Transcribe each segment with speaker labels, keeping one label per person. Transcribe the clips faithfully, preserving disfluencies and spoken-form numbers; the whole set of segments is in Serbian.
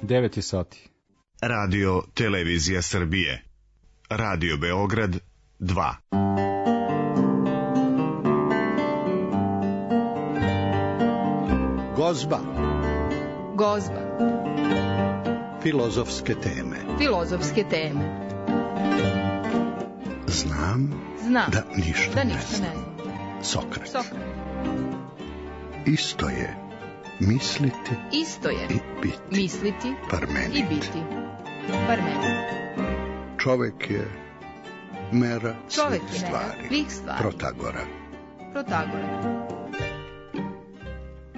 Speaker 1: devet je sati.
Speaker 2: Radio Televizija Srbije. Radio Beograd dva.
Speaker 3: Gozba.
Speaker 4: Gozba.
Speaker 3: Filozofske teme.
Speaker 4: Filozofske teme.
Speaker 3: Znam,
Speaker 4: Znam
Speaker 3: da ništa,
Speaker 4: da
Speaker 3: ne,
Speaker 4: ništa
Speaker 3: znam.
Speaker 4: ne znam.
Speaker 3: Sokrat.
Speaker 4: Sokrat.
Speaker 3: Isto je misliti
Speaker 4: Isto je
Speaker 3: i biti.
Speaker 4: Misliti
Speaker 3: Parmenid.
Speaker 4: i biti. Parmenid.
Speaker 3: Čovek je mera
Speaker 4: Čovek
Speaker 3: svih
Speaker 4: je mera
Speaker 3: stvari.
Speaker 4: svih stvari.
Speaker 3: Protagora.
Speaker 4: Protagora.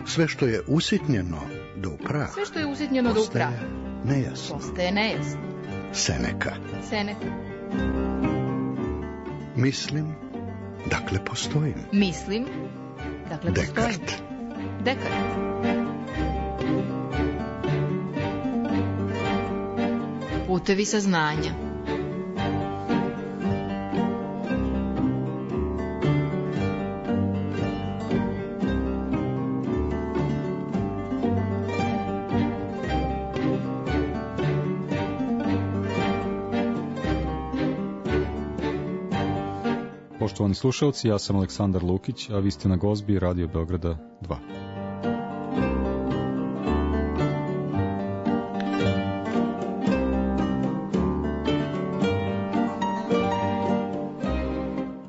Speaker 3: Sve što je usitnjeno do upraha.
Speaker 4: Sve što je usitnjeno do upraha.
Speaker 3: Nejasno.
Speaker 4: Postaje nejasno.
Speaker 3: Seneka.
Speaker 4: Seneka.
Speaker 3: Mislim, dakle postojim.
Speaker 4: Mislim, dakle postojim.
Speaker 3: Dekart.
Speaker 4: Dekart. Putevi saznanja.
Speaker 1: Poštovani slušalci, ja sam Aleksandar Lukić, a vi ste na Gozbi Radio Beograda dva.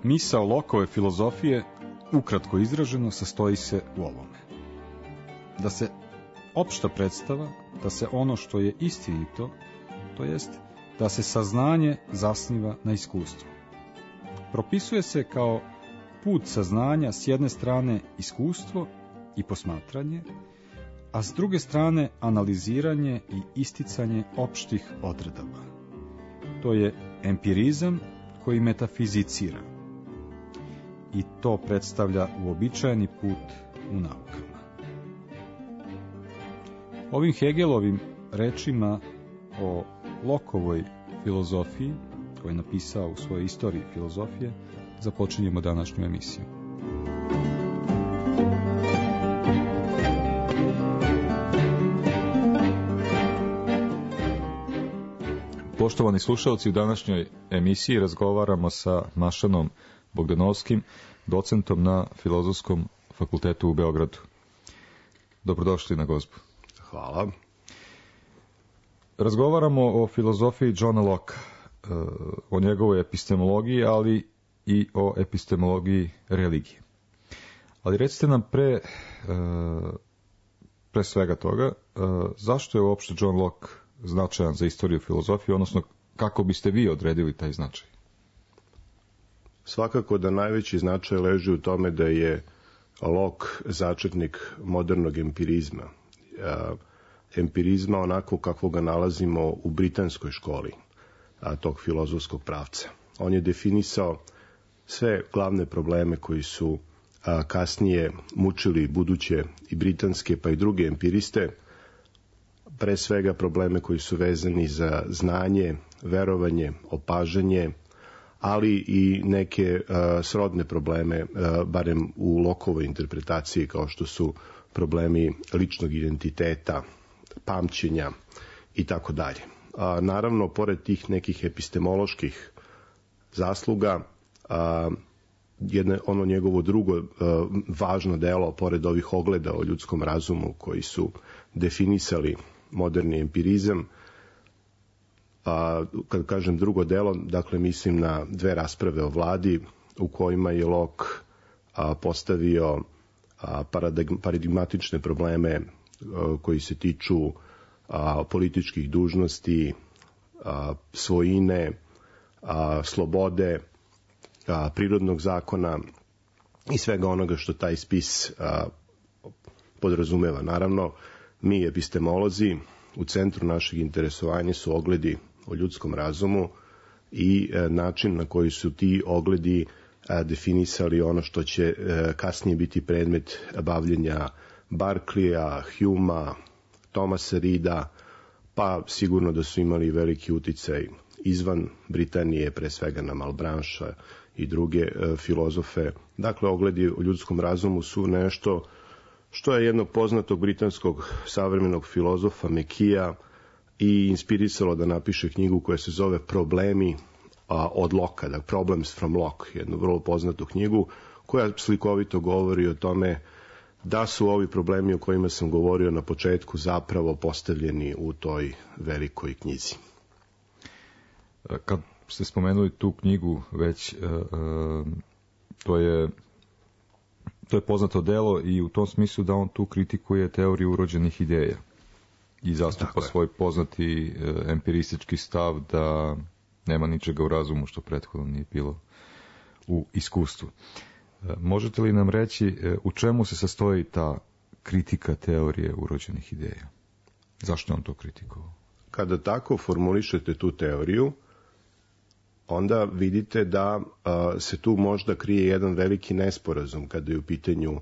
Speaker 1: Misao Lockeove filozofije, ukratko izraženo, sastoji se u ovome. Da se opšta predstava, da se ono što je istinito, to jest da se saznanje zasniva na iskustvu. Propisuje se kao put saznanja s jedne strane iskustvo i posmatranje, a s druge strane analiziranje i isticanje opštih odredaba. To je empirizam koji metafizicira. I to predstavlja uobičajeni put u naukama. Ovim Hegelovim rečima o Lockeovoj filozofiji, koji je napisao u svojoj istoriji filozofije, započinjemo današnju emisiju. Poštovani slušalci, u današnjoj emisiji razgovaramo sa Mašanom Bogdanovskim, docentom na Filozofskom fakultetu u Beogradu. Dobrodošli na Gozbu.
Speaker 5: Hvala.
Speaker 1: Razgovaramo o filozofiji Johna Locke, o njegovoj epistemologiji, ali i o epistemologiji religije. Ali recite nam pre, pre svega toga, zašto je uopšte John Locke značajan za istoriju filozofije, odnosno kako biste vi odredili taj značaj?
Speaker 5: Svakako da najveći značaj leži u tome da je Locke začetnik modernog empirizma. Empirizma onako kako ga nalazimo u britanskoj školi tog filozofskog pravca. On je definisao sve glavne probleme koji su kasnije mučili buduće i britanske pa i druge empiriste, pre svega probleme koji su vezani za znanje, verovanje, opažanje, ali i neke uh, srodne probleme, uh, barem u Lockeovoj interpretaciji, kao što su problemi ličnog identiteta, pamćenja i tako dalje. Naravno, pored tih nekih epistemoloških zasluga, uh, jedno, ono njegovo drugo uh, važno delo, pored ovih ogleda o ljudskom razumu koji su definisali moderni empirizam, a, kad kažem drugo delo, dakle mislim na dve rasprave o vladi u kojima je Locke a, postavio a, paradigmatične probleme a, koji se tiču a, političkih dužnosti, a, svojine, a, slobode, a, prirodnog zakona i svega onoga što taj spis a, podrazumeva. Naravno, mi epistemolozi u centru našeg interesovanja su ogledi o ljudskom razumu i e, način na koji su ti ogledi e, definisali ono što će e, kasnije biti predmet bavljenja Berkeleya, Humea, Thomasa Reeda, pa sigurno da su imali veliki uticaj izvan Britanije, pre svega na Malebrancha i druge e, filozofe. Dakle, ogledi o ljudskom razumu su nešto što je jednog poznatog britanskog savremenog filozofa Mekija i inspirisalo da napiše knjigu koja se zove Problemi a, od Loka, da Problems from Locke, jednu vrlo poznatu knjigu koja slikovito govori o tome da su ovi problemi o kojima sam govorio na početku zapravo postavljeni u toj velikoj knjizi.
Speaker 1: Kad ste spomenuli tu knjigu već, to je to je poznato delo i u tom smislu da on tu kritikuje teoriju urođenih ideja i zastupa svoj poznati empiristički stav da nema ničega u razumu što prethodno nije bilo u iskustvu. Možete li nam reći u čemu se sastoji ta kritika teorije urođenih ideja? Zašto je on to kritikovao?
Speaker 5: Kada tako formulišete tu teoriju, onda vidite da a, se tu možda krije jedan veliki nesporazum kada je u pitanju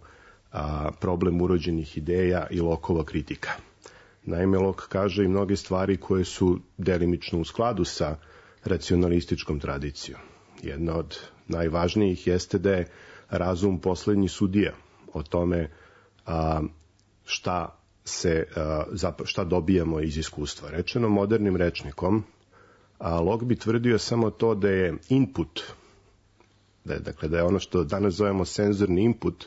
Speaker 5: a, problem urođenih ideja i Lockeova kritika. Naime, Locke kaže i mnoge stvari koje su delimično u skladu sa racionalističkom tradicijom. Jedna od najvažnijih jeste da je razum poslednji sudija o tome a, šta, se, a, šta dobijamo iz iskustva. Rečeno modernim rečnikom, a Locke bi tvrdio samo to da je input, da je, dakle, da je ono što danas zovemo senzorni input,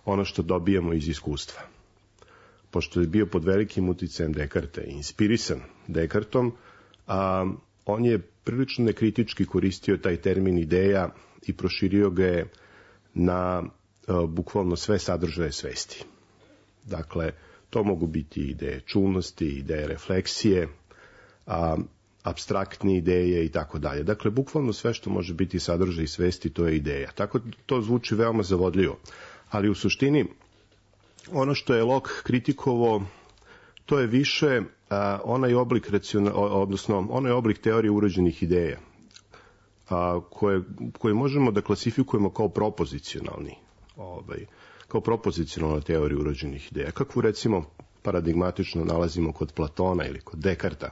Speaker 5: ono što dobijamo iz iskustva. Pošto je bio pod velikim uticajem Descartesa i inspirisan Descartesom, a, on je prilično nekritički koristio taj termin ideja i proširio ga je na a, bukvalno sve sadržaje svesti. Dakle, to mogu biti ideje čulnosti, ideje refleksije, a, apstraktne ideje i tako dalje. Dakle, bukvalno sve što može biti sadržaj svesti, to je ideja. Tako to zvuči veoma zavodljivo. Ali u suštini, ono što je Locke kritikovao, to je više a, onaj oblik raciona, odnosno onaj oblik teorije urođenih ideja, a, koje, koje možemo da klasifikujemo kao propozicionalni, ovaj, kao propozicionalna teorija urođenih ideja. Kakvu, recimo, paradigmatično nalazimo kod Platona ili kod Descartesa.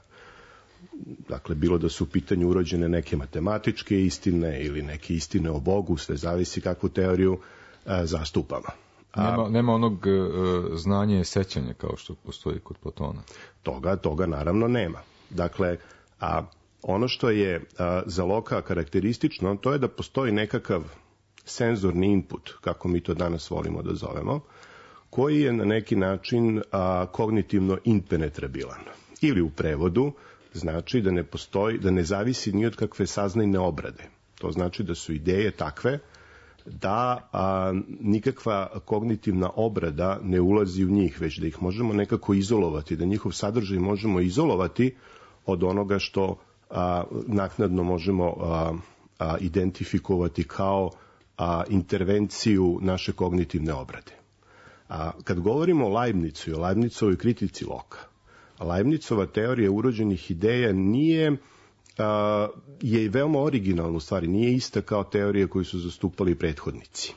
Speaker 5: Dakle, bilo da su u pitanju urođene neke matematičke istine ili neke istine o Bogu, sve zavisi kakvu teoriju a, zastupamo. A,
Speaker 1: nema, nema onog uh, znanja i sećanja kao što postoji kod Platona.
Speaker 5: Toga, toga naravno nema. Dakle, a ono što je a, za Locke karakteristično, to je da postoji nekakav senzorni input, kako mi to danas volimo da zovemo, koji je na neki način a, kognitivno impenetrabilan. Ili u prevodu znači da ne postoji, da ne zavisi ni od kakve saznajne obrade. To znači da su ideje takve da a, nikakva kognitivna obrada ne ulazi u njih, već da ih možemo nekako izolovati, da njihov sadržaj možemo izolovati od onoga što a, naknadno možemo a, a, identifikovati kao a, intervenciju naše kognitivne obrade. A, kad govorimo o Leibnizu i o Leibnizovoj kritici Locke, Leibnizova teorija urođenih ideja nije a, je veoma originalna u stvari, nije ista kao teorija koju su zastupali prethodnici.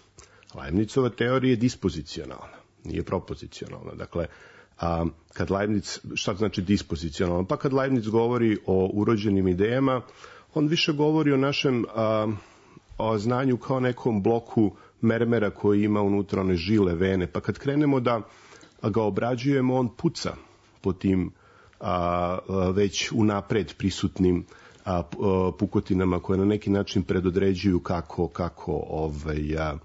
Speaker 5: Leibnizova teorija je dispozicionalna, nije propozicionalna. Dakle, a, kad Leibniz, šta znači dispozicionalna? Pa kad Leibniz govori o urođenim idejama, on više govori o našem a, o znanju kao nekom bloku mermera koji ima unutra one žile, vene, pa kad krenemo da ga obrađujemo, on puca po tim a, a, već unapred prisutnim a, a, pukotinama koje na neki način predodređuju kako, kako ovaj, a,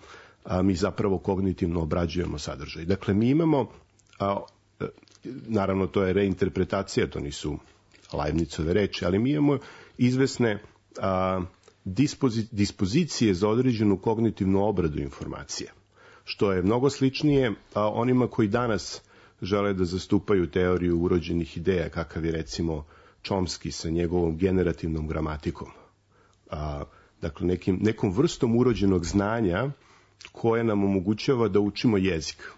Speaker 5: a, mi zapravo kognitivno obrađujemo sadržaj. Dakle, mi imamo, a, a, naravno to je reinterpretacija, to nisu Leibnizove reči, ali mi imamo izvesne a, dispozi, dispozicije za određenu kognitivnu obradu informacije, što je mnogo sličnije a, onima koji danas žele da zastupaju teoriju urođenih ideja, kakav je recimo Chomsky sa njegovom generativnom gramatikom. A, dakle, nekim, nekom vrstom urođenog znanja koje nam omogućava da učimo jezik.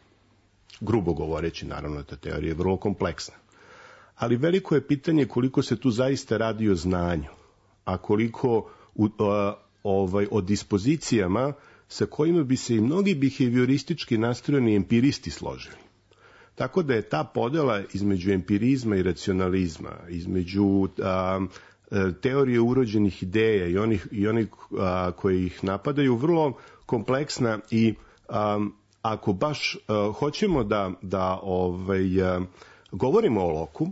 Speaker 5: Grubo govoreći, naravno, ta teorija je vrlo kompleksna. Ali veliko je pitanje koliko se tu zaista radi o znanju, a koliko u, a, ovaj, o dispozicijama sa kojima bi se i mnogi behavioristički nastrojeni empiristi složili. Tako da je ta podela između empirizma i racionalizma, između a, teorije urođenih ideja i onih, i onih a, koji ih napadaju vrlo kompleksna i a, ako baš a, hoćemo da, da ovaj, a, govorimo o Locku,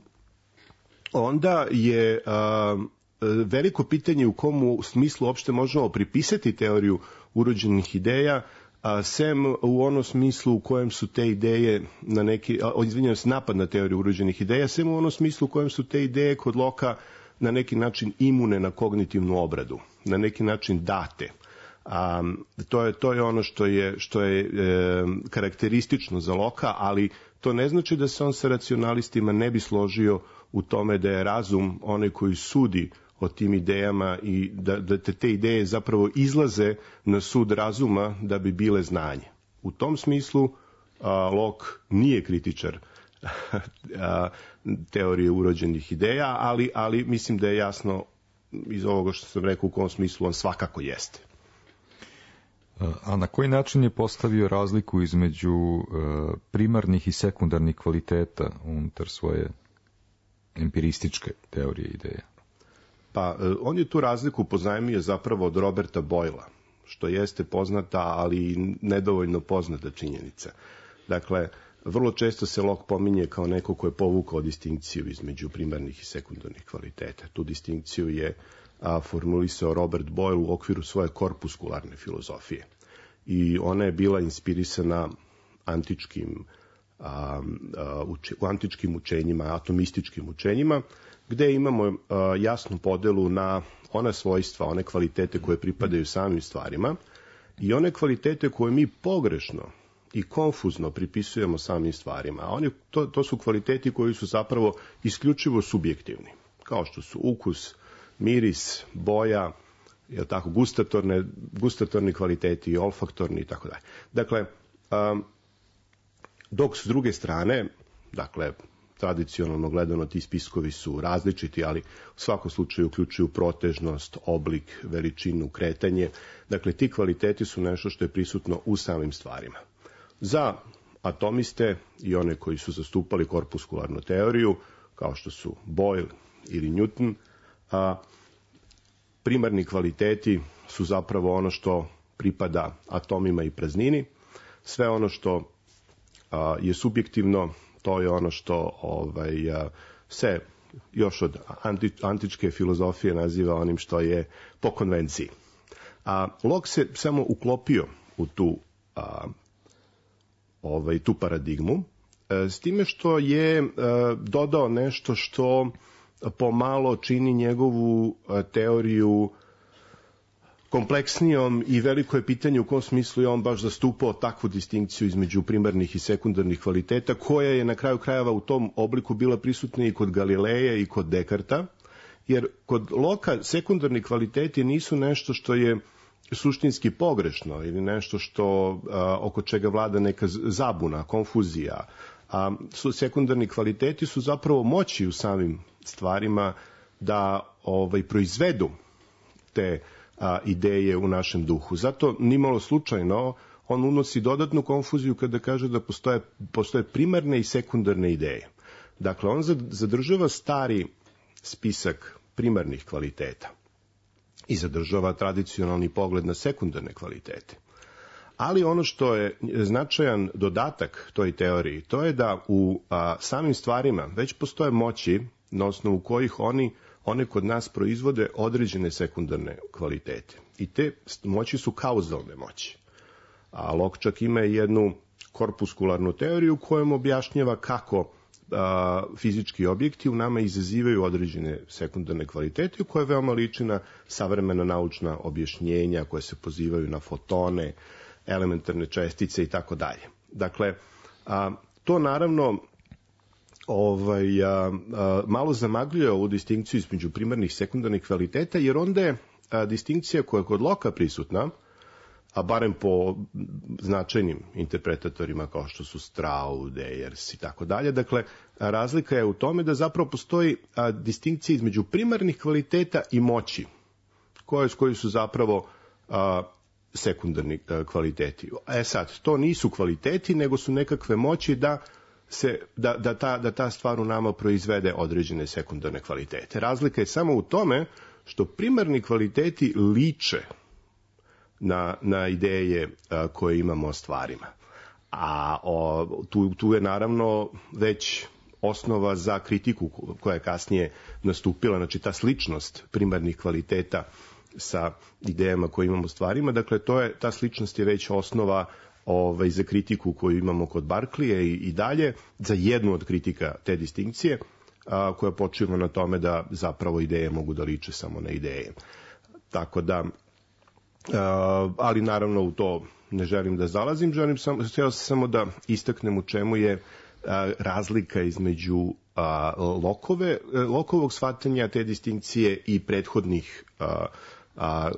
Speaker 5: onda je a, veliko pitanje u kom smislu uopšte možemo pripisati teoriju urođenih ideja, a sem u onom smislu u kojem su te ideje na neki, izvinjavam se, napad na teoriju urođenih ideja, sem u onom smislu u kojem su te ideje kod Loka na neki način imune na kognitivnu obradu, na neki način date. A, to je to je ono što je što je e, karakteristično za Loka, ali to ne znači da se on sa racionalistima ne bi složio u tome da je razum onaj koji sudi o tim idejama i da, da te, te ideje zapravo izlaze na sud razuma da bi bile znanje. U tom smislu a, Locke nije kritičar a, teorije urođenih ideja, ali, ali mislim da je jasno iz ovoga što sam rekao u kom smislu on svakako jeste.
Speaker 1: A na koji način je postavio razliku između primarnih i sekundarnih kvaliteta unutar svoje empirističke teorije ideja?
Speaker 5: Pa, on je tu razliku pozajmio zapravo od Roberta Boyla, što jeste poznata, ali nedovoljno poznata činjenica. Dakle, vrlo često se Locke pominje kao neko ko je povukao distinkciju između primarnih i sekundarnih kvaliteta. Tu distinkciju je a, formulisao Robert Boyle u okviru svoje korpuskularne filozofije. I ona je bila inspirisana antičkim, a, a, uče, u antičkim učenjima, atomističkim učenjima, gde imamo a, jasnu podelu na ona svojstva, one kvalitete koje pripadaju samim stvarima i one kvalitete koje mi pogrešno i konfuzno pripisujemo samim stvarima. A oni, to, to su kvaliteti koji su zapravo isključivo subjektivni, kao što su ukus, miris, boja, je tako, gustatorne, gustatorni kvaliteti, olfaktorni i tako dalje. Dakle, um, dok s druge strane, dakle, tradicionalno gledano ti spiskovi su različiti, ali u svakom slučaju uključuju protežnost, oblik, veličinu, kretanje. Dakle, ti kvaliteti su nešto što je prisutno u samim stvarima. Za atomiste i one koji su zastupali korpuskularnu teoriju, kao što su Boyle ili Newton, a, primarni kvaliteti su zapravo ono što pripada atomima i praznini. Sve ono što a, je subjektivno, to je ono što ovaj, a, se još od anti, antičke filozofije naziva onim što je po konvenciji. A Locke se samo uklopio u tu a, ovaj, tu paradigmu, s time što je dodao nešto što pomalo čini njegovu teoriju kompleksnijom i veliko je pitanje u kom smislu je on baš zastupao takvu distinkciju između primarnih i sekundarnih kvaliteta, koja je na kraju krajeva u tom obliku bila prisutna i kod Galileja i kod Dekarta, jer kod Locke sekundarni kvaliteti nisu nešto što je suštinski pogrešno ili nešto što a, oko čega vlada neka zabuna, konfuzija. A su sekundarni kvaliteti su zapravo moći u samim stvarima da ovaj proizvedu te a, ideje u našem duhu. Zato nimalo slučajno on unosi dodatnu konfuziju kada kaže da postoje, postoje primarne i sekundarne ideje. Dakle, on zadržava stari spisak primarnih kvaliteta i zadržava tradicionalni pogled na sekundarne kvalitete. Ali ono što je značajan dodatak toj teoriji, to je da u a, samim stvarima već postoje moći na osnovu kojih oni, one kod nas proizvode određene sekundarne kvalitete. I te moći su kauzalne moći. A Locke čak ima jednu korpuskularnu teoriju kojom objašnjava kako a, fizički objekti u nama izazivaju određene sekundarne kvalitete koje veoma liči na savremena naučna objašnjenja koje se pozivaju na fotone, elementarne čestice i tako dalje. Dakle, a, to naravno ovaj, a, a, malo zamagljuje ovu distinkciju između primarnih i sekundarnih kvaliteta, jer onda je a, distinkcija koja je kod Locke prisutna, a barem po značajnim interpretatorima kao što su Strauss, Deyers i tako dalje. Dakle, razlika je u tome da zapravo postoji a, distinkcija između primarnih kvaliteta i moći, koje, koji su zapravo a, sekundarni a, kvaliteti. E sad, to nisu kvaliteti, nego su nekakve moći da, se, da, da, ta, da ta stvar u nama proizvede određene sekundarne kvalitete. Razlika je samo u tome što primarni kvaliteti liče na, na ideje a, koje imamo o stvarima. A o, tu, tu je naravno već osnova za kritiku koja je kasnije nastupila, znači ta sličnost primarnih kvaliteta sa idejama koje imamo u stvarima, dakle to je, ta sličnost je već osnova ovaj, za kritiku koju imamo kod Barclaya i, i dalje, za jednu od kritika te distinkcije, a, koja počiva na tome da zapravo ideje mogu da liče samo na ideje. Tako da, a, ali naravno u to ne želim da zalazim, želim samo, htio sam samo da istaknem u čemu je a, razlika između a, Lokove, Lokovog shvatanja te distinkcije i prethodnih a, a,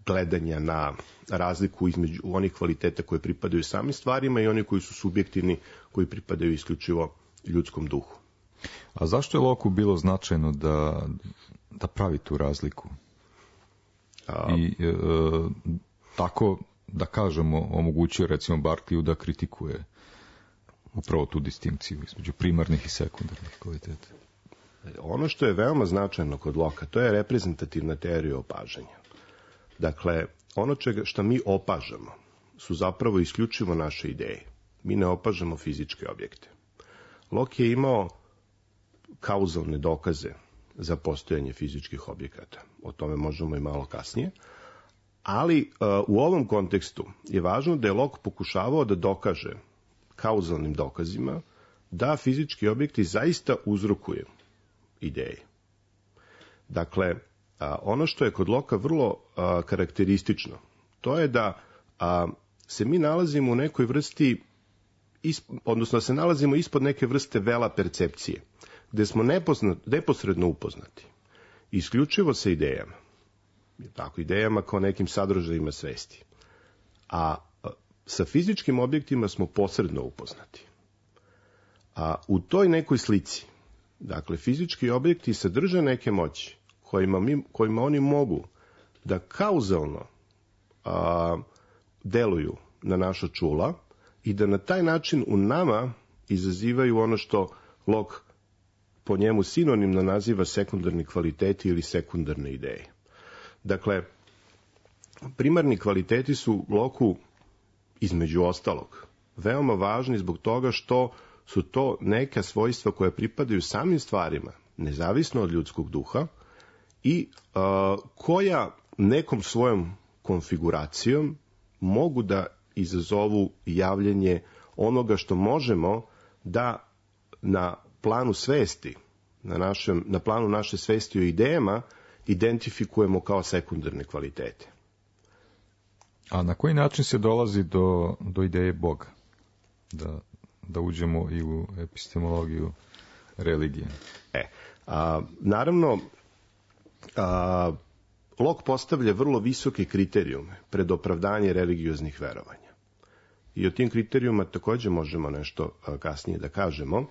Speaker 5: gledanja na razliku između onih kvaliteta koje pripadaju samim stvarima i oni koji su subjektivni, koji pripadaju isključivo ljudskom duhu.
Speaker 1: A zašto je Locku bilo značajno da, da pravi tu razliku? A... I e, tako, da kažemo, omogućio recimo Barclayu da kritikuje upravo tu distinkciju između primarnih i sekundarnih kvaliteta?
Speaker 5: Ono što je veoma značajno kod Locka, to je reprezentativna teorija opažanja. Dakle, ono čega, što mi opažamo su zapravo isključivo naše ideje. Mi ne opažamo fizičke objekte. Locke je imao kauzalne dokaze za postojanje fizičkih objekata. O tome možemo i malo kasnije. Ali uh, u ovom kontekstu je važno da je Locke pokušavao da dokaže kauzalnim dokazima da fizički objekti zaista uzrokuju ideje. Dakle, a, ono što je kod Locka vrlo a, karakteristično, to je da a, se mi nalazimo u nekoj vrsti, isp, odnosno da se nalazimo ispod neke vrste vela percepcije, gde smo nepozna, neposredno upoznati, isključivo sa idejama, tako, idejama kao nekim sadržajima svesti. A, a sa fizičkim objektima smo posredno upoznati. A u toj nekoj slici, dakle, fizički objekti sadrže neke moći kojima, mi, kojima oni mogu da kauzalno a, deluju na naša čula i da na taj način u nama izazivaju ono što Locke po njemu sinonimno naziva sekundarni kvaliteti ili sekundarne ideje. Dakle, primarni kvaliteti su Locku, između ostalog, veoma važni zbog toga što su to neka svojstva koja pripadaju samim stvarima, nezavisno od ljudskog duha, i a, koja nekom svojom konfiguracijom mogu da izazovu javljanje onoga što možemo da na planu svesti, na, našem, na planu naše svesti o idejama, identifikujemo kao sekundarne kvalitete.
Speaker 1: A na koji način se dolazi do, do ideje Boga? Da, da uđemo i u epistemologiju religije.
Speaker 5: E, a, naravno, a, Locke postavlja vrlo visoke kriterijume pred opravdanje religioznih verovanja. I o tim kriterijuma takođe možemo nešto a, kasnije da kažemo.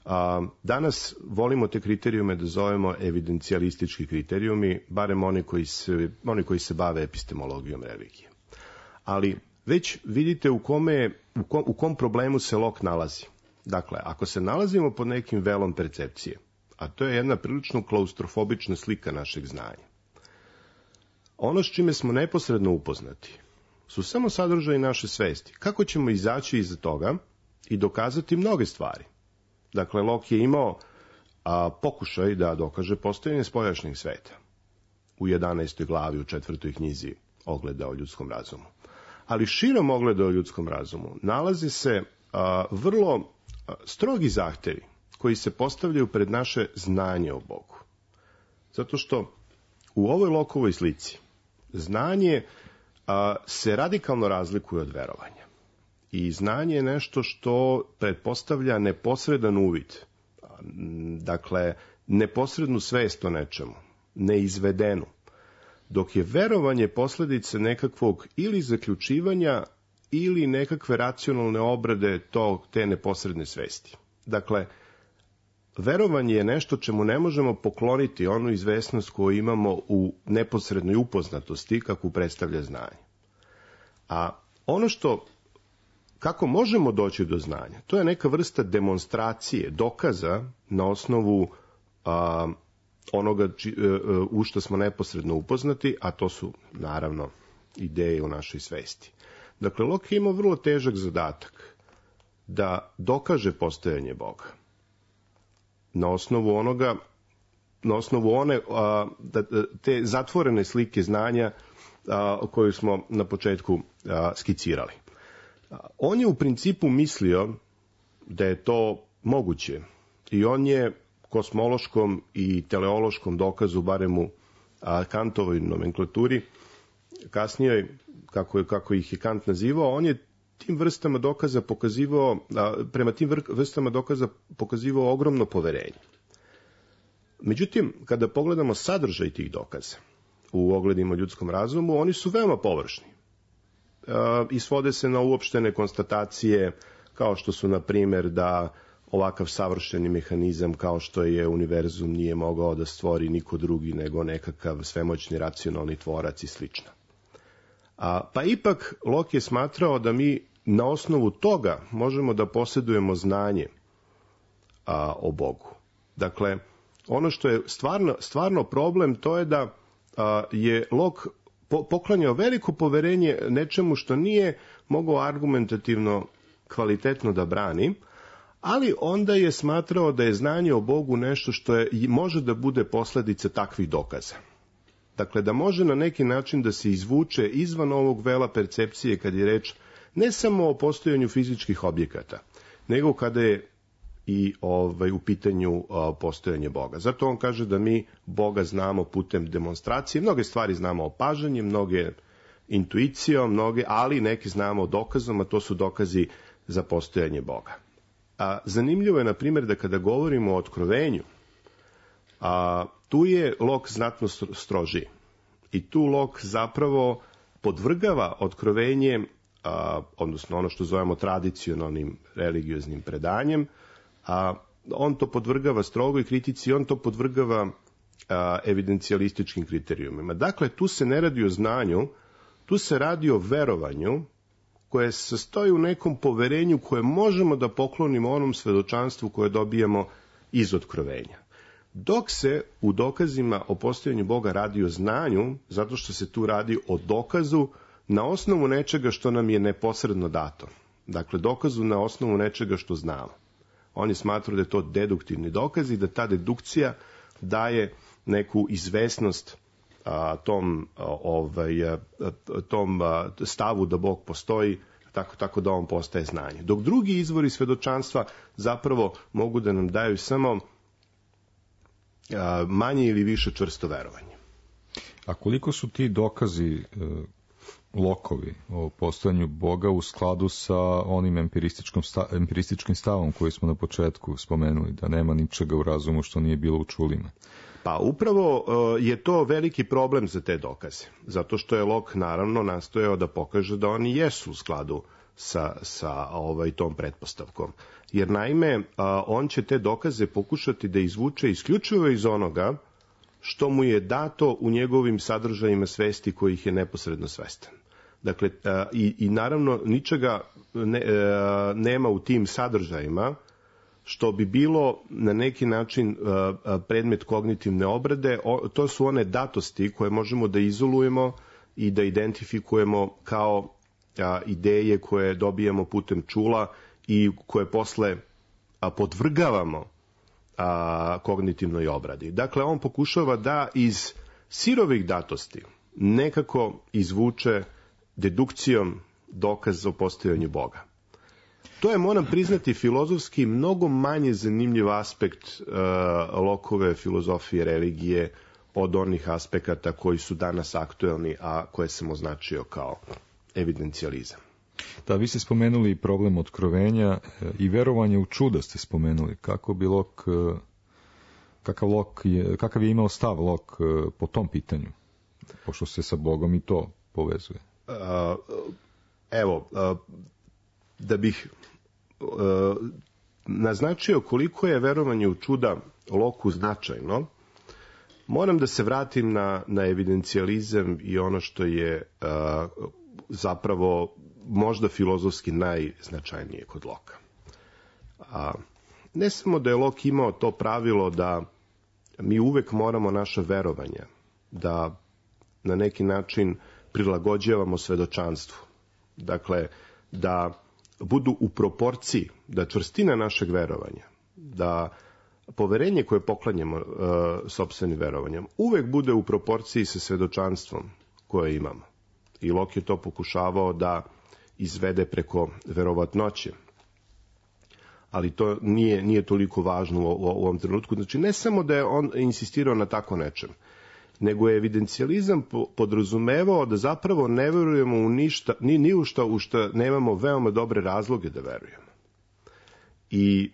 Speaker 5: A, danas volimo te kriterijume da zovemo evidencijalistički kriterijumi, barem oni koji se, oni koji se bave epistemologijom religije. Ali već vidite u kome, u kom, u kom problemu se Locke nalazi. Dakle, ako se nalazimo pod nekim velom percepcije, a to je jedna prilično klaustrofobična slika našeg znanja, ono s čime smo neposredno upoznati su samo sadržaji naše svesti. Kako ćemo izaći iza toga i dokazati mnoge stvari? Dakle, Locke je imao a, pokušaj da dokaže postojanje spoljašnjeg sveta u jedanaestoj glavi, u četvrtoj knjizi Ogleda o ljudskom razumu. Ali širom ogleda o ljudskom razumu nalaze se a, vrlo a, strogi zahtevi koji se postavljaju pred naše znanje o Bogu. Zato što u ovoj Lockeovoj slici znanje a, se radikalno razlikuje od verovanja. I znanje je nešto što pretpostavlja neposredan uvid, dakle, neposrednu svest o nečemu, neizvedenu, dok je verovanje posledice nekakvog ili zaključivanja ili nekakve racionalne obrade tog, te neposredne svesti. Dakle, verovanje je nešto čemu ne možemo pokloniti onu izvesnost koju imamo u neposrednoj upoznatosti, kako predstavlja znanje. A ono što, kako možemo doći do znanja, to je neka vrsta demonstracije, dokaza na osnovu a, onoga či, a, u što smo neposredno upoznati, a to su, naravno, ideje u našoj svesti. Dakle, Locke je imao vrlo težak zadatak da dokaže postojanje Boga. na osnovu onoga, na osnovu one a, da, te zatvorene slike znanja a, koju smo na početku a, skicirali. A, on je u principu mislio da je to moguće i on je kosmološkom i teleološkom dokazu, barem u a, Kantovoj nomenklaturi, kasnije, kako, je, kako ih je Kant nazivao, on je tim vrstama dokaza pokazivao, a, prema tim vrstama dokaza pokazivao ogromno poverenje. Međutim, kada pogledamo sadržaj tih dokaza u ogledima ljudskom razumu, oni su veoma površni. E, I svode se na uopštene konstatacije, kao što su, na primjer, da ovakav savršeni mehanizam kao što je univerzum nije mogao da stvori niko drugi nego nekakav svemoćni racionalni tvorac i slično. A, pa ipak Locke je smatrao da mi na osnovu toga možemo da posjedujemo znanje a, o Bogu. Dakle, ono što je stvarno, stvarno problem, to je da a, je Locke po, poklanjao veliko poverenje nečemu što nije mogao argumentativno kvalitetno da brani, ali onda je smatrao da je znanje o Bogu nešto što je, može da bude posljedica takvih dokaza. Dakle, da može na neki način da se izvuče izvan ovog vela percepcije kad je reč ne samo o postojanju fizičkih objekata, nego kada je i ovaj, u pitanju a, postojanje Boga. Zato on kaže da mi Boga znamo putem demonstracije, mnoge stvari znamo opažanjem, mnoge intuicijom, mnoge, ali neke znamo dokazom, a to su dokazi za postojanje Boga. A, zanimljivo je, na primjer, da kada govorimo o otkrovenju, a, tu je Locke znatno strožiji. I tu Locke zapravo podvrgava otkrovenje, a, odnosno ono što zovemo tradicionalnim religioznim predanjem, a on to podvrgava strogoj kritici, on to podvrgava a, evidencijalističkim kriterijumima. Dakle, tu se ne radi o znanju, tu se radi o verovanju koje se sastoji u nekom poverenju koje možemo da poklonimo onom svedočanstvu koje dobijamo iz otkrovenja. Dok se u dokazima o postojanju Boga radi o znanju, zato što se tu radi o dokazu na osnovu nečega što nam je neposredno dato. Dakle, dokazu na osnovu nečega što znamo. Oni smatruju da je to deduktivni dokaz i da ta dedukcija daje neku izvesnost a, tom, a, ovaj, a, tom a, stavu da Bog postoji, tako, tako da on postaje znanje. Dok drugi izvori svedočanstva zapravo mogu da nam daju samo a, manje ili više čvrsto verovanje.
Speaker 1: A koliko su ti dokazi e, Lockovi o postojanju Boga u skladu sa onim empirističkim, sta, empirističkim stavom koji smo na početku spomenuli, da nema ničega u razumu što nije bilo u čulima?
Speaker 5: Pa upravo uh, je to veliki problem za te dokaze, zato što je Locke naravno nastojao da pokaže da oni jesu u skladu sa, sa ovaj, tom pretpostavkom. Jer naime, uh, on će te dokaze pokušati da izvuče isključivo iz onoga što mu je dato u njegovim sadržajima svesti kojih je neposredno svestan. Dakle, uh, i, i naravno ničega ne, uh, nema u tim sadržajima što bi bilo na neki način predmet kognitivne obrade. To su one datosti koje možemo da izolujemo i da identifikujemo kao ideje koje dobijamo putem čula i koje posle podvrgavamo kognitivnoj obradi. Dakle, on pokušava da iz sirovih datosti nekako izvuče dedukcijom dokaz o postojanju Boga. To je, moram priznati, filozofski mnogo manje zanimljiv aspekt uh, Lockove filozofije religije od onih aspekata koji su danas aktuelni, a koje sam označio kao evidencijalizam.
Speaker 1: Da, vi ste spomenuli problem otkrovenja i verovanje u čuda ste spomenuli. Kako bi Locke, kakav, Locke je, kakav je imao stav Locke po tom pitanju? Pošto se sa Bogom i to povezuje.
Speaker 5: Uh, evo, uh, da bih uh, naznačio koliko je verovanje u čuda Locku značajno, moram da se vratim na, na evidencijalizam i ono što je uh, zapravo možda filozofski najznačajnije kod Locka. A, ne samo da je Locke imao to pravilo da mi uvek moramo naša verovanja da na neki način prilagođavamo svedočanstvu. Dakle, da budu u proporciji, da čvrstina našeg verovanja, da poverenje koje poklanjamo uh, sopstvenim verovanjem uvek bude u proporciji sa svedočanstvom koje imamo. I Locke je to pokušavao da izvede preko verovatnoće. Ali to nije, nije toliko važno u, u, u ovom trenutku. Znači, ne samo da je on insistirao na tako nečem, nego je evidencijalizam podrazumevao da zapravo ne verujemo u ništa, ni, ni u šta u šta nemamo veoma dobre razloge da verujemo. I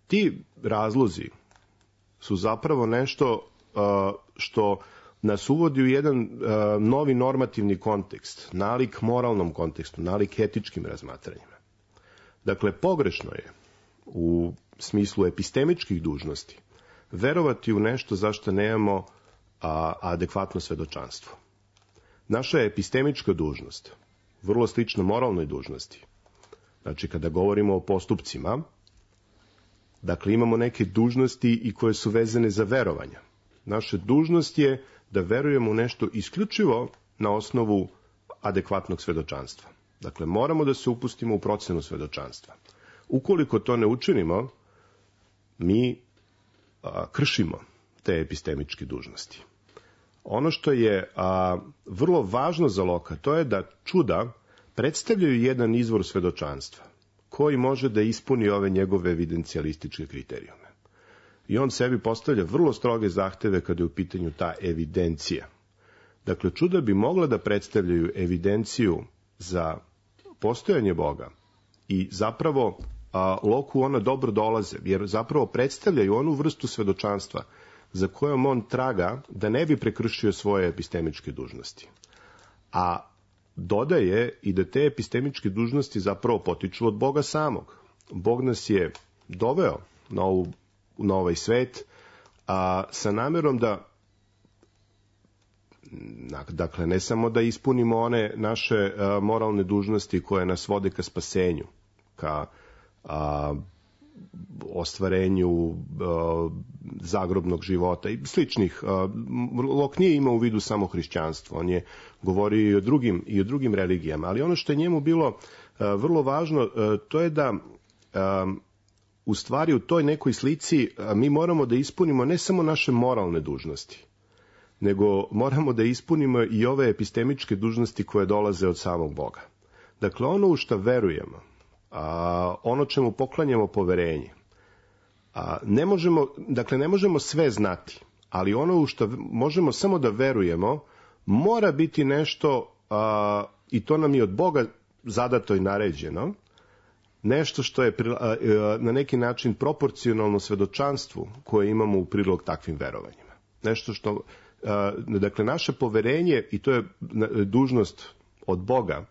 Speaker 5: ti razlozi su zapravo nešto uh, što nas uvodi u jedan uh, novi normativni kontekst, nalik moralnom kontekstu, nalik etičkim razmatranjima. Dakle, pogrešno je u smislu epistemičkih dužnosti verovati u nešto za što nemamo a, adekvatno svedočanstvo. Naša epistemička dužnost, vrlo slična moralnoj dužnosti, znači kada govorimo o postupcima, dakle imamo neke dužnosti i koje su vezane za verovanja. Naša dužnost je da verujemo u nešto isključivo na osnovu adekvatnog svedočanstva. Dakle, moramo da se upustimo u procenu svedočanstva. Ukoliko to ne učinimo, mi a, kršimo te epistemičke dužnosti. Ono što je a, vrlo važno za Locke, to je da čuda predstavljaju jedan izvor svedočanstva koji može da ispuni ove njegove evidencijalističke kriterijume. I on sebi postavlja vrlo stroge zahteve kada je u pitanju ta evidencija. Dakle, čuda bi mogla da predstavljaju evidenciju za postojanje Boga i zapravo a, Locke ona dobro dolaze, jer zapravo predstavljaju onu vrstu svedočanstva za kojom on traga da ne bi prekršio svoje epistemičke dužnosti. A dodaje i da te epistemičke dužnosti zapravo potiču od Boga samog. Bog nas je doveo na, ovu, na ovaj svet a, sa namerom da, dakle, ne samo da ispunimo one naše a, moralne dužnosti koje nas vode ka spasenju, ka a, ostvarenju a, zagrobnog života i sličnih. A, Locke nije imao u vidu samo hrišćanstvo, on je govorio i o drugim, i o drugim religijama, ali ono što je njemu bilo a, vrlo važno, a, to je da a, u stvari u toj nekoj slici a, mi moramo da ispunimo ne samo naše moralne dužnosti, nego moramo da ispunimo i ove epistemičke dužnosti koje dolaze od samog Boga. Dakle, ono u što verujemo, a, ono čemu poklanjamo poverenje, a, ne možemo, dakle, ne možemo sve znati, ali ono u što možemo samo da verujemo, mora biti nešto, a, i to nam je od Boga zadato i naređeno, nešto što je a, a, na neki način proporcionalno svedočanstvu koje imamo u prilog takvim verovanjima. Nešto što, a, dakle, naše poverenje, i to je dužnost od Boga,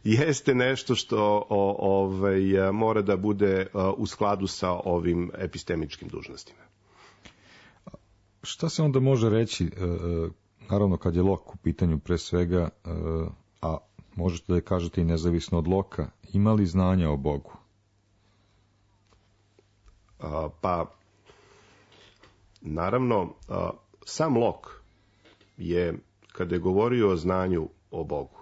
Speaker 5: jeste nešto što o, ovaj, mora da bude u skladu sa ovim epistemičkim dužnostima.
Speaker 1: Šta se onda može reći, naravno kad je Locke u pitanju pre svega, a možete da je kažete i nezavisno od Locke, ima li znanja o Bogu?
Speaker 5: A, pa, naravno, a, sam Locke je, kada je govorio o znanju o Bogu,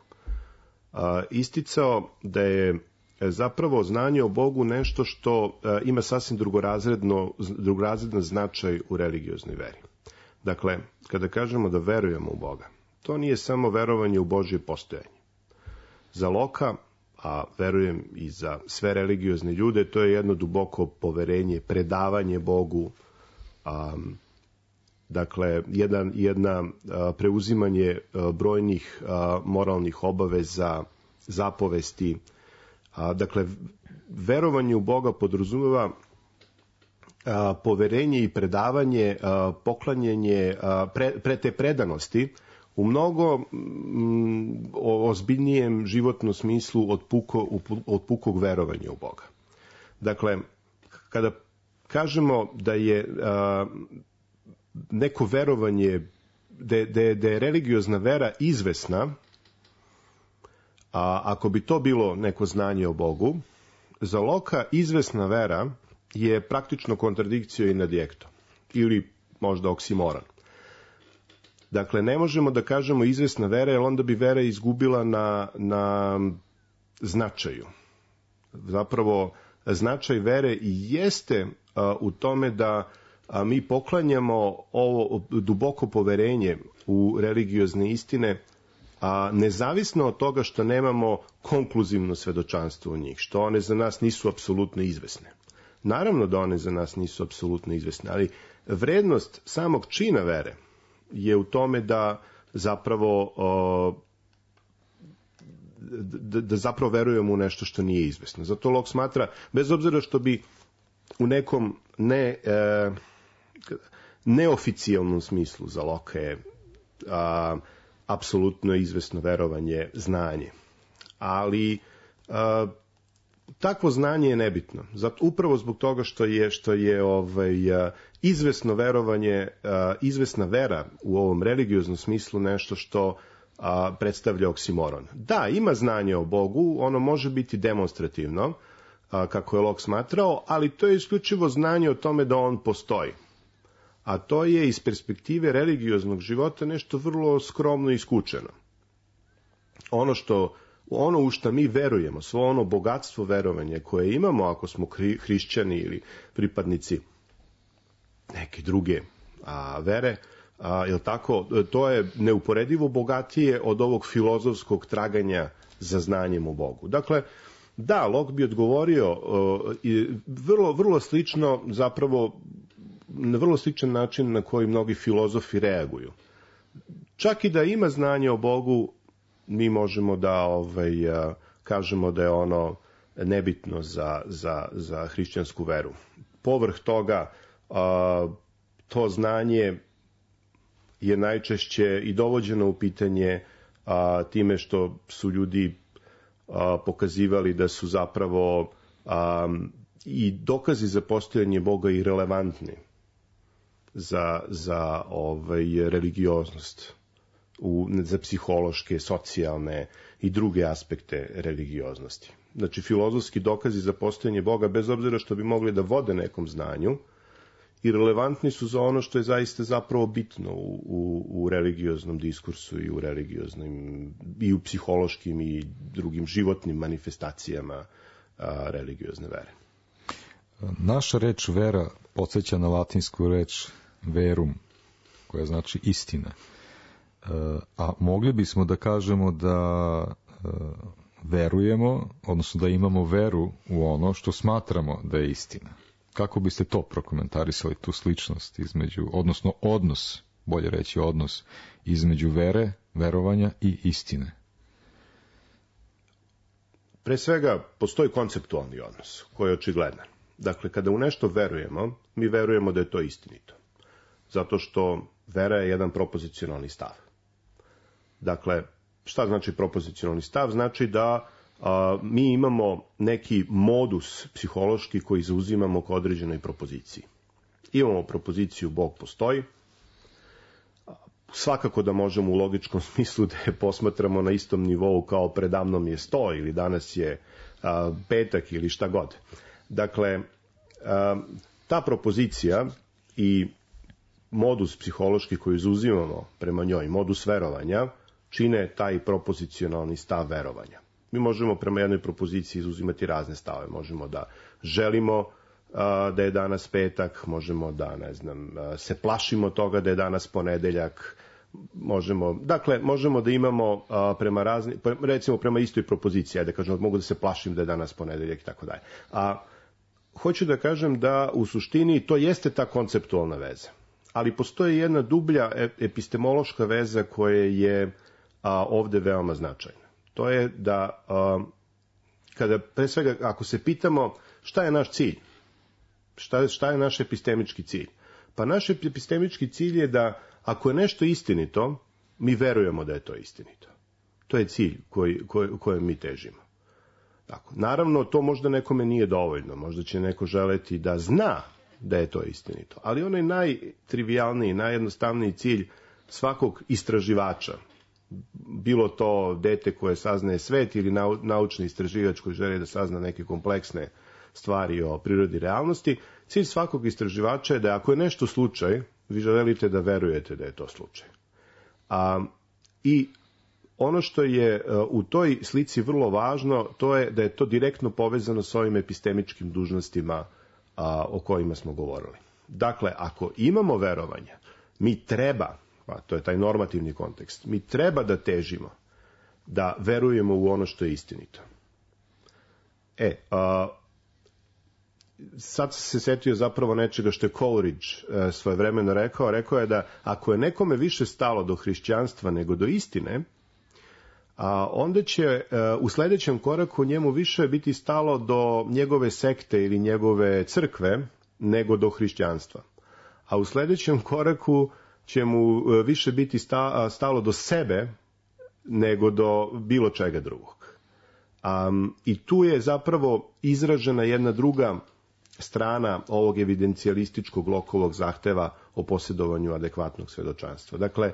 Speaker 5: a, isticao da je zapravo znanje o Bogu nešto što a, ima sasvim drugorazredno, drugorazredan značaj u religioznoj veri. Dakle, kada kažemo da verujemo u Boga, to nije samo verovanje u Božje postojanje. Za Locke, a verujem i za sve religiozne ljude, to je jedno duboko poverenje, predavanje Bogu, a, dakle, jedan, jedna a, preuzimanje a, brojnih a, moralnih obaveza, zapovesti. A, dakle, verovanje u Boga podrazumeva a, poverenje i predavanje, a, poklanjanje a, pre, pre te predanosti u mnogo mm, ozbiljnijem životnom smislu od, puko, od pukog verovanja u Boga. Dakle, kada kažemo da je a, neko verovanje, da, da, da je religiozna vera izvesna, a ako bi to bilo neko znanje o Bogu, za Locke izvesna vera je praktično kontradikcija in adjecto, ili možda oksimoron. Dakle, ne možemo da kažemo izvesna vera, jer onda bi vera izgubila na, na značaju. Zapravo, značaj vere jeste a, u tome da a, mi poklanjamo ovo duboko poverenje u religiozne istine, a nezavisno od toga što nemamo konkluzivno svedočanstvo u njih, što one za nas nisu apsolutno izvesne. Naravno da one za nas nisu apsolutno izvesne, ali vrednost samog čina vere je u tome da zapravo o, da, da zapravo verujemo u nešto što nije izvesno. Zato Locke smatra, bez obzira što bi u nekom ne, e, neoficijalnom smislu za Locke je a, apsolutno izvesno verovanje znanje. Ali a, takvo znanje je nebitno. Zato, upravo zbog toga što je, što je ovaj, a, izvesno verovanje, a, izvesna vera u ovom religioznom smislu nešto što a, predstavlja oksimoron. Da, ima znanje o Bogu, ono može biti demonstrativno, a, kako je Locke smatrao, ali to je isključivo znanje o tome da on postoji. A to je iz perspektive religioznog života nešto vrlo skromno i skučeno. Ono što, ono u što mi verujemo, svo ono bogatstvo verovanja koje imamo ako smo hri, hrišćani ili pripadnici neke druge a, vere, a, jel tako, to je neuporedivo bogatije od ovog filozofskog traganja za znanjem o Bogu. Dakle, da, Locke bi odgovorio uh, i vrlo, vrlo slično, zapravo na vrlo sličan način na koji mnogi filozofi reaguju. Čak i da ima znanje o Bogu, mi možemo da ovaj, uh, kažemo da je ono nebitno za, za, za hrišćansku veru. Povrh toga, uh, to znanje je najčešće i dovođeno u pitanje uh, time što su ljudi A, pokazivali da su zapravo a, i dokazi za postojanje Boga i relevantni za, za ovaj, religioznost, u, za psihološke, socijalne i druge aspekte religioznosti. Znači, filozofski dokazi za postojanje Boga, bez obzira što bi mogli da vode nekom znanju, i relevantni su za ono što je zaista zapravo bitno u, u, u religioznom diskursu i u religioznim, i u psihološkim i drugim životnim manifestacijama a, religiozne vere.
Speaker 1: Naša reč vera podsjeća na latinsku reč verum, koja znači istina. A mogli bismo da kažemo da verujemo, odnosno da imamo veru u ono što smatramo da je istina. Kako biste to prokomentarisali, tu sličnost između, odnosno odnos, bolje reći odnos, između vere, verovanja i istine?
Speaker 5: Pre svega, postoji konceptualni odnos, koji je očigledan. Dakle, kada u nešto verujemo, mi verujemo da je to istinito. Zato što vera je jedan propozicionalni stav. Dakle, šta znači propozicionalni stav? Znači da a, mi imamo neki modus psihološki koji zauzimamo k određenoj propoziciji. Imamo propoziciju Bog postoji. Svakako da možemo u logičkom smislu da je posmatramo na istom nivou kao predavnom je sto ili danas je a, petak ili šta god. Dakle, a, ta propozicija i modus psihološki koji zauzimamo prema njoj, modus verovanja, čine taj propozicionalni stav verovanja. Mi možemo prema jednoj propoziciji izuzimati razne stave. Možemo da želimo uh, da je danas petak, možemo da, ne znam, uh, se plašimo toga da je danas ponedeljak, možemo, dakle, možemo da imamo uh, prema razni, recimo prema istoj propoziciji, ajde da kažem, mogu da se plašim da je danas ponedeljak i tako dalje. A hoću da kažem da u suštini to jeste ta konceptualna veza. Ali postoji jedna dublja epistemološka veza koja je a, ovde veoma značajna. To je da, a, kada, pre svega, ako se pitamo šta je naš cilj, šta, šta je naš epistemički cilj? Pa naš epistemički cilj je da, ako je nešto istinito, mi verujemo da je to istinito. To je cilj koji, koji, kojem mi težimo. Tako. Naravno, to možda nekome nije dovoljno. Možda će neko želeti da zna da je to istinito. Ali onaj najtrivijalniji, najjednostavniji cilj svakog istraživača, bilo to dete koje saznaje svet ili naučni istraživač koji želi da sazna neke kompleksne stvari o prirodi realnosti, cilj svakog istraživača je da ako je nešto slučaj, vi želite da verujete da je to slučaj. A, I ono što je u toj slici vrlo važno, to je da je to direktno povezano s ovim epistemičkim dužnostima a, o kojima smo govorili. Dakle, ako imamo verovanja, mi treba, a to je taj normativni kontekst, mi treba da težimo da verujemo u ono što je istinito. E, a, sad se setio zapravo nečega što je Coleridge e, svojevremeno rekao. Rekao je da ako je nekome više stalo do hrišćanstva nego do istine, a onda će e, u sledećem koraku njemu više biti stalo do njegove sekte ili njegove crkve nego do hrišćanstva. A u sledećem koraku će mu e, više biti sta, stalo do sebe nego do bilo čega drugog. Um, I tu je zapravo izražena jedna druga strana ovog evidencijalističkog Lockeovog zahteva o posjedovanju adekvatnog svedočanstva. Dakle,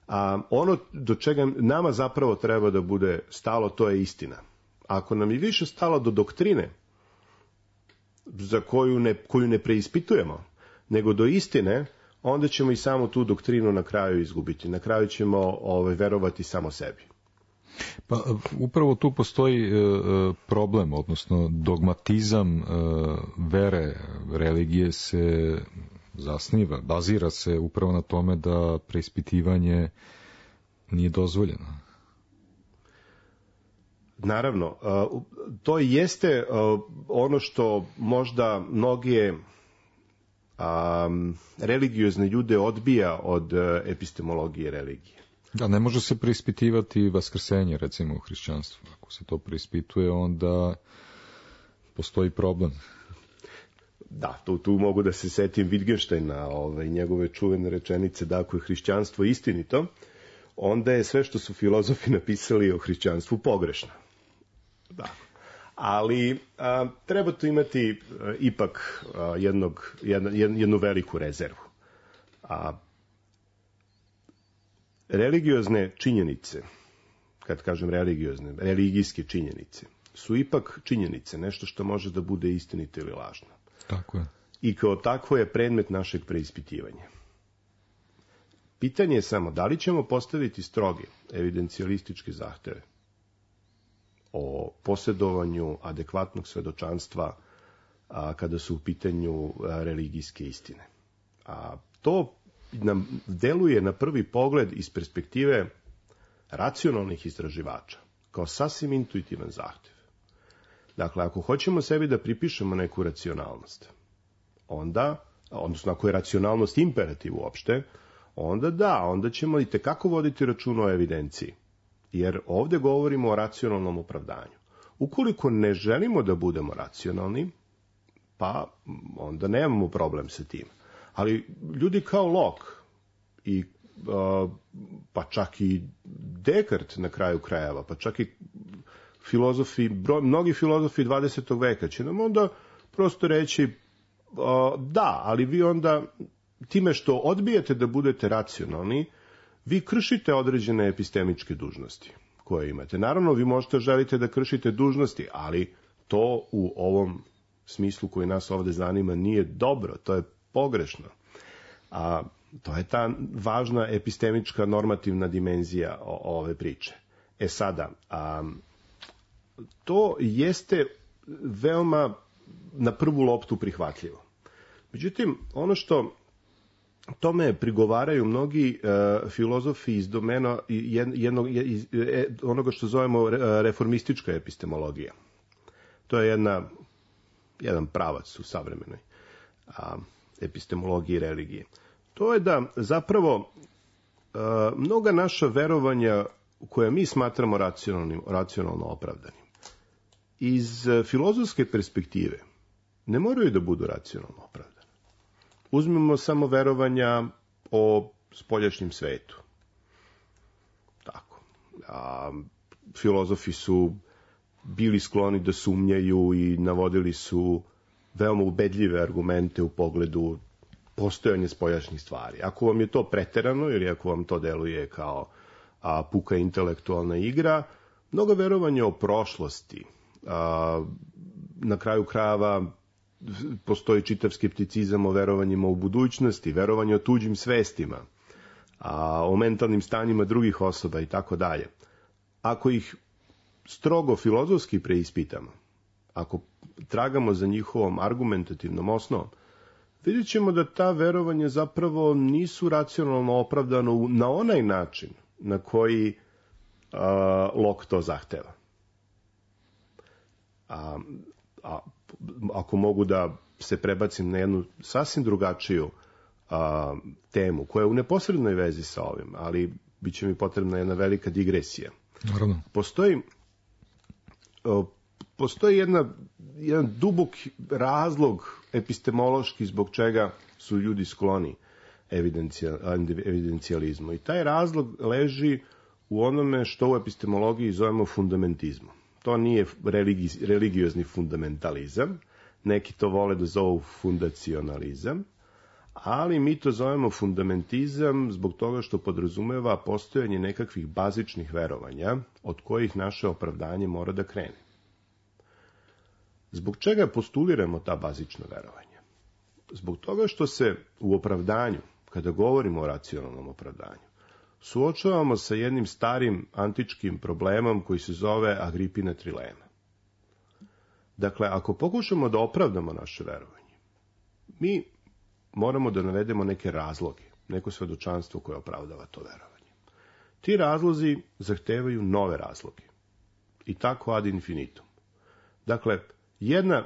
Speaker 5: um, ono do čega nama zapravo treba da bude stalo, to je istina. Ako nam je više stalo do doktrine, za koju ne, koju ne preispitujemo, nego do istine, onda ćemo i samo tu doktrinu na kraju izgubiti. Na kraju ćemo ovaj, verovati samo sebi.
Speaker 1: Pa upravo tu postoji e, problem, odnosno dogmatizam e, vere, religije se zasniva, bazira se upravo na tome da preispitivanje nije dozvoljeno.
Speaker 5: Naravno, to jeste ono što možda mnoge religiozne ljude odbija od epistemologije religije.
Speaker 1: Da, ne može se preispitivati vaskrsenje, recimo, u hrišćanstvu. Ako se to preispituje, onda postoji problem.
Speaker 5: Da, tu, tu mogu da se setim Wittgensteina, ovaj, njegove čuvene rečenice da ako je hrišćanstvo istinito, onda je sve što su filozofi napisali o hrišćanstvu pogrešno. Da. Ali a, treba tu imati a, ipak a, jednog, jedna, jednu veliku rezervu. A, religiozne činjenice, kad kažem religiozne, religijske činjenice, su ipak činjenice, nešto što može da bude istinito ili lažno.
Speaker 1: Tako je.
Speaker 5: I kao takvo je predmet našeg preispitivanja. Pitanje je samo da li ćemo postaviti stroge evidencijalističke zahteve o posjedovanju adekvatnog svedočanstva a, kada su u pitanju a, religijske istine. A to nam deluje na prvi pogled iz perspektive racionalnih istraživača kao sasvim intuitivan zahtev. Dakle, ako hoćemo sebi da pripišemo neku racionalnost, onda, odnosno ako je racionalnost imperativ uopšte, onda da, onda ćemo i tekako voditi račun o evidenciji. Jer ovde govorimo o racionalnom opravdanju. Ukoliko ne želimo da budemo racionalni, pa onda nemamo problem sa tim. Ali ljudi kao Locke i uh, pa čak i Descartes na kraju krajeva, pa čak i filozofi, broj, mnogi filozofi dvadesetog veka će nam onda prosto reći uh, da, ali vi onda time što odbijete da budete racionalni, vi kršite određene epistemičke dužnosti koje imate. Naravno, vi možete želite da kršite dužnosti, ali to u ovom smislu koji nas ovde zanima nije dobro, to je pogrešno. A to je ta važna epistemička normativna dimenzija o, ove priče. E sada, a, to jeste veoma na prvu loptu prihvatljivo. Međutim, ono što tome prigovaraju mnogi uh, filozofi iz domena jednog, iz, onoga što zovemo reformistička epistemologija. To je jedna, jedan pravac u savremenoj uh, epistemologiji religije. To je da zapravo uh, mnoga naša verovanja koja mi smatramo racionalnim, racionalno opravdanim, iz uh, filozofske perspektive ne moraju da budu racionalno opravdani. Uzmemo samo verovanja o spoljašnjem svetu. Tako. A, filozofi su bili skloni da sumnjaju i navodili su veoma ubedljive argumente u pogledu postojanja spoljašnjih stvari. Ako vam je to preterano ili ako vam to deluje kao a, puka intelektualna igra, mnogo verovanja o prošlosti, a, na kraju krajeva postoji čitav skepticizam o verovanjima u budućnosti, verovanje o tuđim svestima, a, o mentalnim stanjima drugih osoba i tako dalje. Ako ih strogo filozofski preispitamo, ako tragamo za njihovom argumentativnom osnovom, vidjet ćemo da ta verovanja zapravo nisu racionalno opravdano na onaj način na koji a, Locke to zahteva. A, a, ako mogu da se prebacim na jednu sasvim drugačiju a, temu, koja je u neposrednoj vezi sa ovim, ali bit će mi potrebna jedna velika digresija.
Speaker 1: Naravno.
Speaker 5: Postoji, a, postoji jedna, jedan dubok razlog epistemološki zbog čega su ljudi skloni evidencijalizmu. I taj razlog leži u onome što u epistemologiji zovemo fundamentizmom. To nije religi, religiozni fundamentalizam, neki to vole da zovu fundacionalizam, ali mi to zovemo fundamentizam zbog toga što podrazumeva postojanje nekakvih bazičnih verovanja od kojih naše opravdanje mora da krene. Zbog čega postuliramo ta bazična verovanja? Zbog toga što se u opravdanju, kada govorimo o racionalnom opravdanju, suočavamo sa jednim starim antičkim problemom koji se zove Agripina trilema. Dakle, ako pokušamo da opravdamo naše verovanje, mi moramo da navedemo neke razloge, neko svedočanstvo koje opravdava to verovanje. Ti razlozi zahtevaju nove razloge. I tako ad infinitum. Dakle, jedna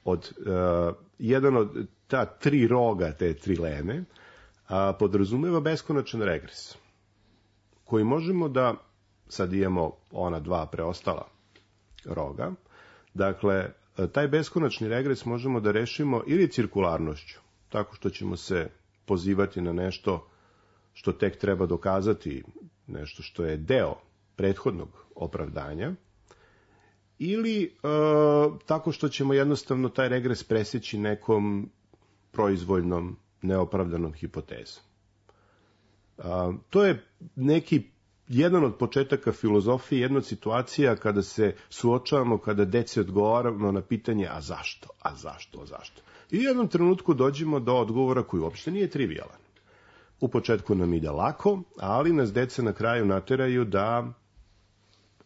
Speaker 5: od, uh, jedan od ta tri roga te trileme uh, podrazumeva beskonačan regres, koji možemo da, sad imamo ona dva preostala roga, dakle, taj beskonačni regres možemo da rešimo ili cirkularnošću, tako što ćemo se pozivati na nešto što tek treba dokazati, nešto što je deo prethodnog opravdanja, ili e, tako što ćemo jednostavno taj regres preseći nekom proizvoljnom, neopravdanom hipotezom. A, to je neki, jedan od početaka filozofije, jedna od situacija kada se suočavamo, kada deci odgovaramo na pitanje a zašto, a zašto, a zašto. I u jednom trenutku dođemo do odgovora koji uopšte nije trivialan. U početku nam ide lako, ali nas deca na kraju nateraju da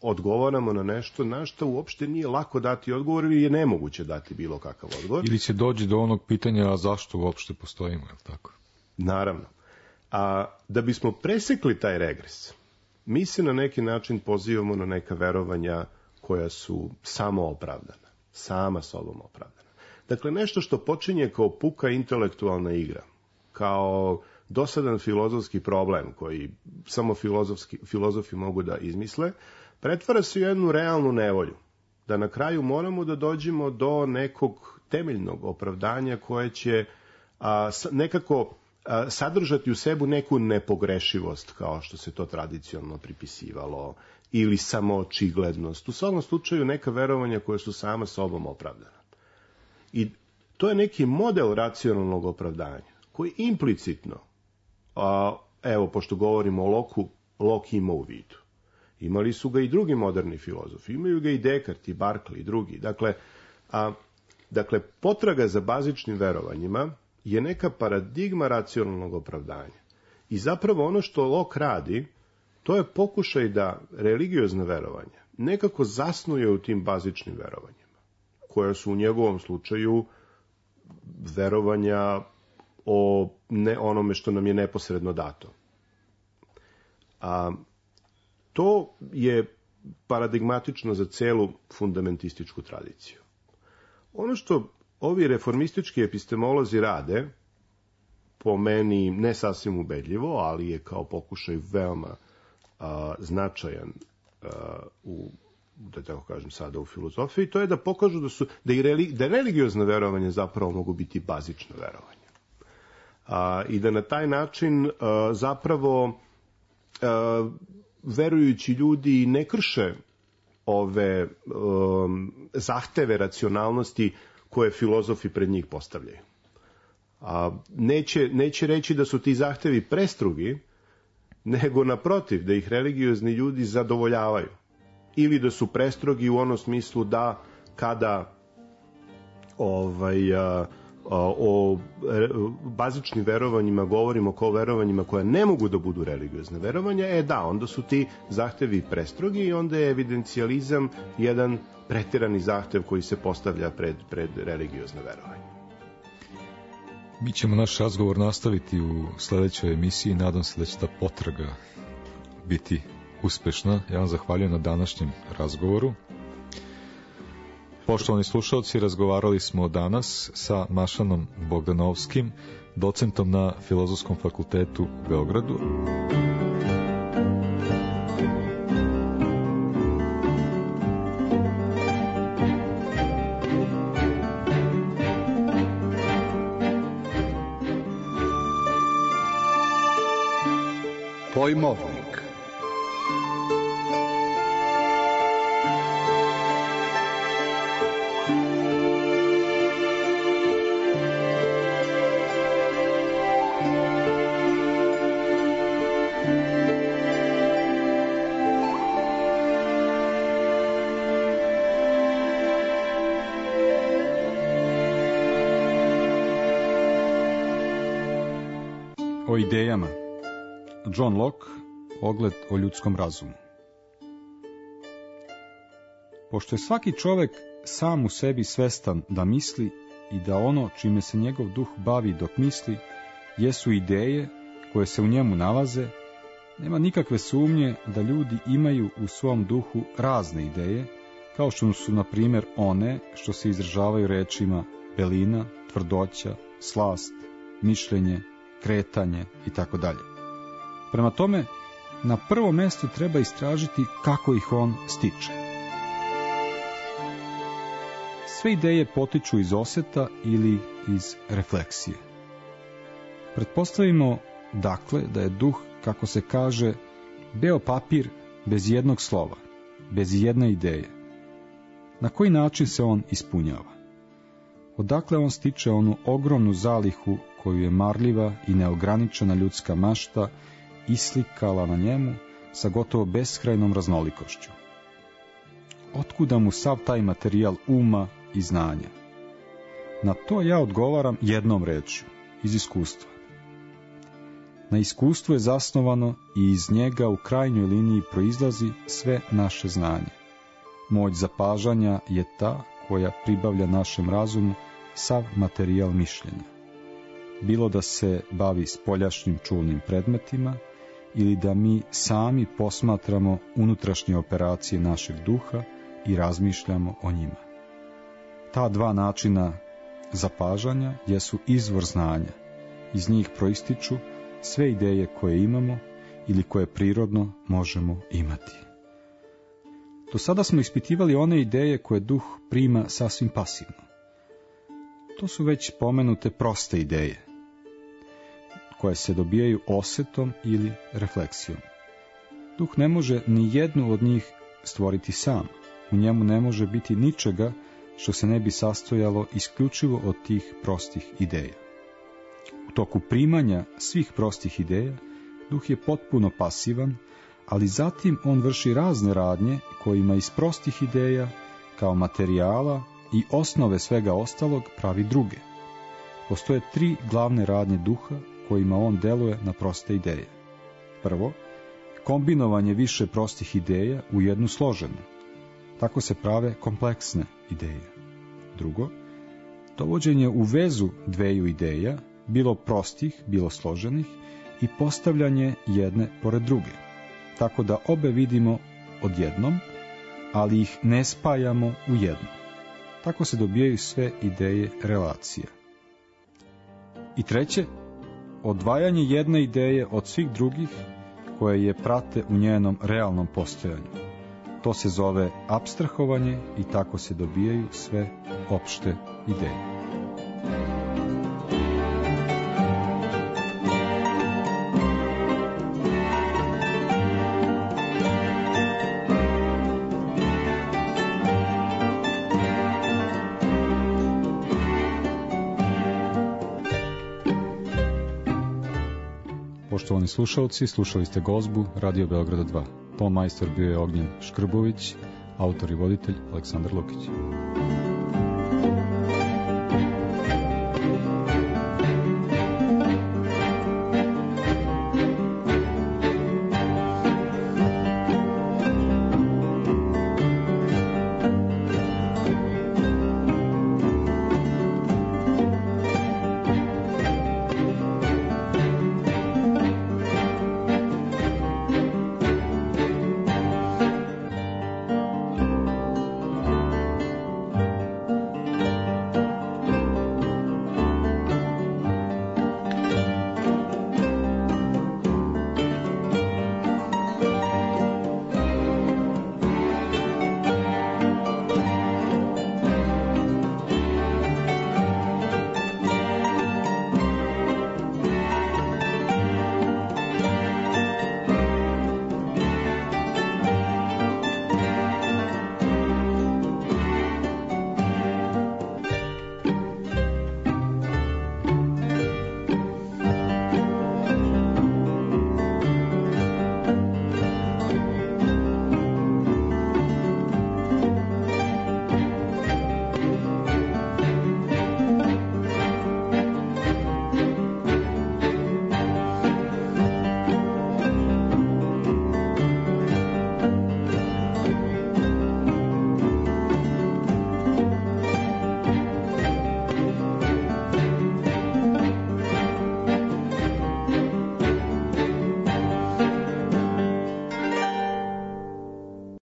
Speaker 5: odgovaramo na nešto na što uopšte nije lako dati odgovor ili je nemoguće dati bilo kakav odgovor.
Speaker 1: Ili će doći do onog pitanja a zašto uopšte postojimo, je li tako?
Speaker 5: Naravno. A da bismo presekli taj regres, mi se na neki način pozivamo na neka verovanja koja su samo opravdana, sama sobom opravdana. Dakle, nešto što počinje kao puka intelektualna igra, kao dosadan filozofski problem koji samo filozofi mogu da izmisle, pretvara se u jednu realnu nevolju, da na kraju moramo da dođemo do nekog temeljnog opravdanja koje će a, nekako a, sadržati u sebu neku nepogrešivost, kao što se to tradicionalno pripisivalo, ili samoočiglednost. U svakom slučaju neka verovanja koja su sama sobom opravdana. I to je neki model racionalnog opravdanja, koji implicitno, a, evo, pošto govorimo o Locku, Locke ima u vidu. Imali su ga i drugi moderni filozofi, imaju ga i Descartes, i Berkeley i drugi. Dakle, a, dakle, potraga za bazičnim verovanjima je neka paradigma racionalnog opravdanja. I zapravo ono što Locke radi, to je pokušaj da religiozne verovanja nekako zasnuje u tim bazičnim verovanjima, koja su u njegovom slučaju verovanja o ne onome što nam je neposredno dato. A to je paradigmatično za celu fundamentističku tradiciju. Ono što ovi reformistički epistemolozi rade, po meni ne sasvim ubedljivo, ali je kao pokušaj veoma a, značajan a, u, da tako kažem sada, u filozofiji, to je da pokažu da su da i religi, da religiozne verovanja zapravo mogu biti bazična verovanja. A, I da na taj način a, zapravo a, verujući ljudi ne krše ove um, zahteve racionalnosti koje filozofi pred njih postavljaju. A neće, neće reći da su ti zahtevi prestrugi, nego naprotiv, da ih religiozni ljudi zadovoljavaju. Ili da su prestrogi u onom smislu da kada ovaj, a, o bazičnim verovanjima govorimo kao verovanjima koja ne mogu da budu religiozne verovanja, e da, onda su ti zahtevi prestrogi i onda je evidencijalizam jedan preterani zahtev koji se postavlja pred, pred religiozne verovanje.
Speaker 1: Mi ćemo naš razgovor nastaviti u sledećoj emisiji. Nadam se da će ta potraga biti uspešna. Ja vam zahvaljujem na današnjem razgovoru. Poštovani slušalci, razgovarali smo danas sa Mašanom Bogdanovskim, docentom na Filozofskom fakultetu u Beogradu.
Speaker 3: Pojmovnik.
Speaker 1: O idejama. John Locke, ogled o ljudskom razumu. Pošto je svaki čovek sam u sebi svestan da misli i da ono čime se njegov duh bavi dok misli jesu ideje koje se u njemu nalaze, nema nikakve sumnje da ljudi imaju u svom duhu razne ideje, kao što su, na primjer, one što se izražavaju rečima belina, tvrdoća, slast, mišljenje, kretanje i tako dalje. Prema tome, na prvom mestu treba istražiti kako ih on stiče. Sve ideje potiču iz oseta ili iz refleksije. Pretpostavimo, dakle, da je duh, kako se kaže, beo papir bez jednog slova, bez jedne ideje. Na koji način se on ispunjava? Odakle on stiče onu ogromnu zalihu koju je marljiva i neograničena ljudska mašta islikala na njemu sa gotovo beskrajnom raznolikošću? Otkuda mu sav taj materijal uma i znanja? Na to ja odgovaram jednom rečju, iz iskustva. Na iskustvu je zasnovano i iz njega u krajnjoj liniji proizlazi sve naše znanje. Moć zapažanja je ta koja pribavlja našem razumu sav materijal mišljenja. Bilo da se bavi spoljašnjim čulnim predmetima ili da mi sami posmatramo unutrašnje operacije našeg duha i razmišljamo o njima. Ta dva načina zapažanja jesu izvor znanja. Iz njih proističu sve ideje koje imamo ili koje prirodno možemo imati. Do sada smo ispitivali one ideje koje duh prima sasvim pasivno. To su već pomenute proste ideje, koje se dobijaju osetom ili refleksijom. Duh ne može ni jednu od njih stvoriti sam. U njemu ne može biti ničega što se ne bi sastojalo isključivo od tih prostih ideja. U toku primanja svih prostih ideja, duh je potpuno pasivan, ali zatim on vrši razne radnje kojima iz prostih ideja, kao materijala i osnove svega ostalog, pravi druge. Postoje tri glavne radnje duha kojima on deluje na proste ideje. Prvo, kombinovanje više prostih ideja u jednu složenu. Tako se prave kompleksne ideje. Drugo, dovođenje u vezu dveju ideja, bilo prostih, bilo složenih, i postavljanje jedne pored druge, tako da obe vidimo odjednom, ali ih ne spajamo u jedno. Tako se dobijaju sve ideje relacija. I treće, odvajanje jedne ideje od svih drugih koje je prate u njenom realnom postojanju. To se zove apstrahovanje i tako se dobijaju sve opšte ideje. Poštovani slušalci, slušali ste gozbu Radio Beograda dva. Ton majstor bio je Ognjen Škrbović, autor i voditelj Aleksandar Lukić.